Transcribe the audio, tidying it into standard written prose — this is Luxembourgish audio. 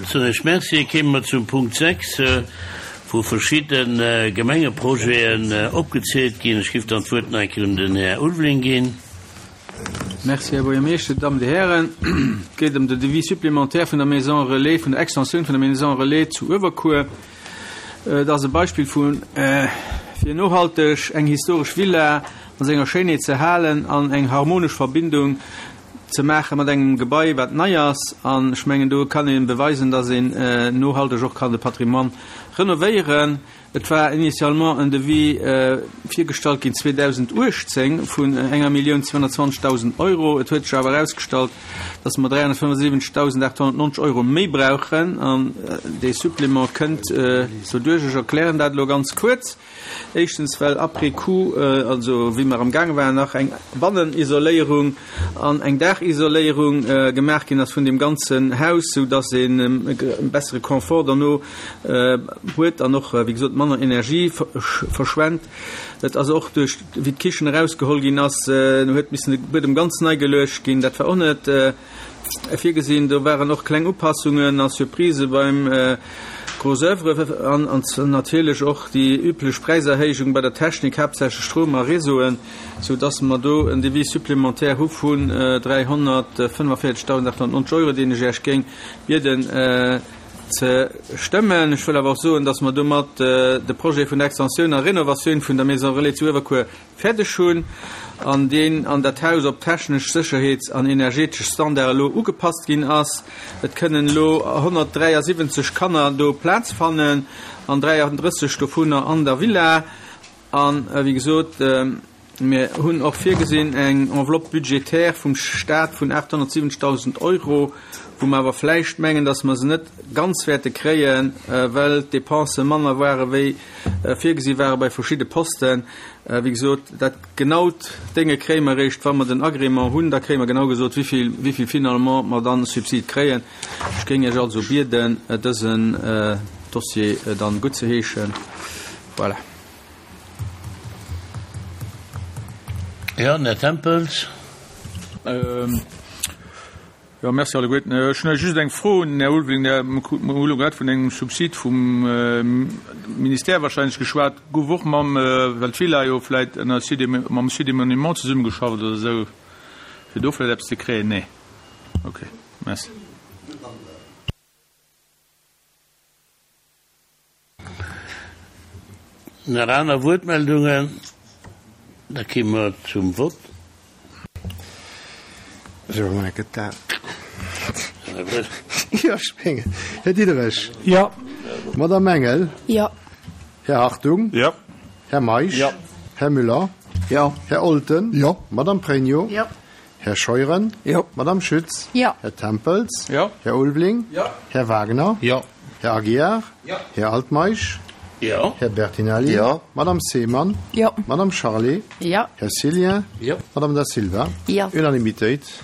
Soen ech Merci. Kéime mer zum Punkt 6, wou verschidde Gemengeprojeten opgezielt ginn. Ech géif dann d'Wuert nach eng Kéier un den Här Ulveling ginn. Merci, Här Buergermeeschter, Dammen, Dir Hären. Et geet ëm den Devis supplémentaire vun der Maison Relais, vun der Extensioun vun der Maison Relais zu Uewerkuer. Et ass e Beispill vu fir nohalteg eng historesch Villa an senger Schéinheet ze halen an eng harmonesch Verbindung ze maache mat engem Gebai, wat nei ass. An ech mengen, do kann ee beweisen, dass een nohalteg och kann de Patrimoine renovéieren. Et war initialement en Devis virgestallt ginn 2018 vun enger Millioun 220.000 Euro. Et huet sech awer erausgestallt, dass mer 375.890 Euro méi brauchen. An dee Supplément kënnt doduerch. Ech erklären dat elo ganz kuerz. Éischtens, well après coup, also wéi mer amgaange waren, nach eng Bannenisoléierung an eng Daachisoléierung gemaach ginn ass vun deem ganzen Haus, sou dass een e bessere Confort derno huet an och, wéi gesot, manner Energie verschwent. Et ass och duerch, wéi d'Kichen erausgeholl ginn ass, huet missen de Buedem ganz nei geluecht ginn. Dat war och net virgesinn. Do waren och kleng Upassungen a Surprisë beim Gros oeuvre an natierlech och déi üblech Präiserhéijung bei der Technik, haaptsächlech Stroum a Réseauen, sou dass mer do en Devis supplémentaire hu vun 345.890 Euro, deen ech Iech géing bieden ze stëmmen. Ech wëll awer och soen, dass mer domat de Projet vun der Extensioun a Renovatioun vun der Maison Relais zu Uewerkuer fäerdeg hunn an deen an dat Haus op technesch, sécherheets an energetesch Standarde elo ugepasst ginn ass. Et kënnen elo 173 Kanner do Plaz fannen an 33 dovunner an der Villa. An, wéi gesot, mir hunn och virgesinn eng Enveloppe budgétaire vum Stat vun 870.000 Euro, wou mer awer vläicht mengen, dass mer se net ganz wäerte kréien, well d'Dépensë manner ware wéi virgesi ware bei verschidde Posten. Wéi gesot, dat genaut Dénge kréie mer eréischt, wa mer den Agrément hunn. Da kréie mer genau gesot, wéi vill finalement mer dann Subsid kréien. Ech géing Iech also bieden, dësen Dossier dann guttzeheeschen. Voilà. Jo, den Här Tempels. Jo, merci alleguerten. Ech hunn just eng Fro un den Här Ulveling. Mir hu elo grad vun engem Subsid vum Ministère wahrscheinlech geschwat. Gouf och mam, well d'Villa jo vläit ënner Site, mam Site des Monuments zesummegeschafft oder esou, fir do vläit eppes ze kréien? Nee? Okay, merci. Nach aner Wuertmeldungen? Da gi mer zum Vott. Här Diderich. Jo. Madamm Engel. Jo. Här Hartung. Jo. Här Meisch. Jo. Här Müller. Jo. Här Olten. Jo. Madamm Pregno. Jo. Här Scheuren. Jo. Madamm Schütz. Jo. Här Tempels. Jo. Här Ulveling. Jo. Här Wagner. Jo. Här Aguiar. Jo. Här Altmeisch. Jo. Här Bertinelli. Jo. Madamm Seemann. Jo. Madamm Charlé. Jo. Här Cillien. Jo. Madamm Da Silva. Jo. Unanimitéit.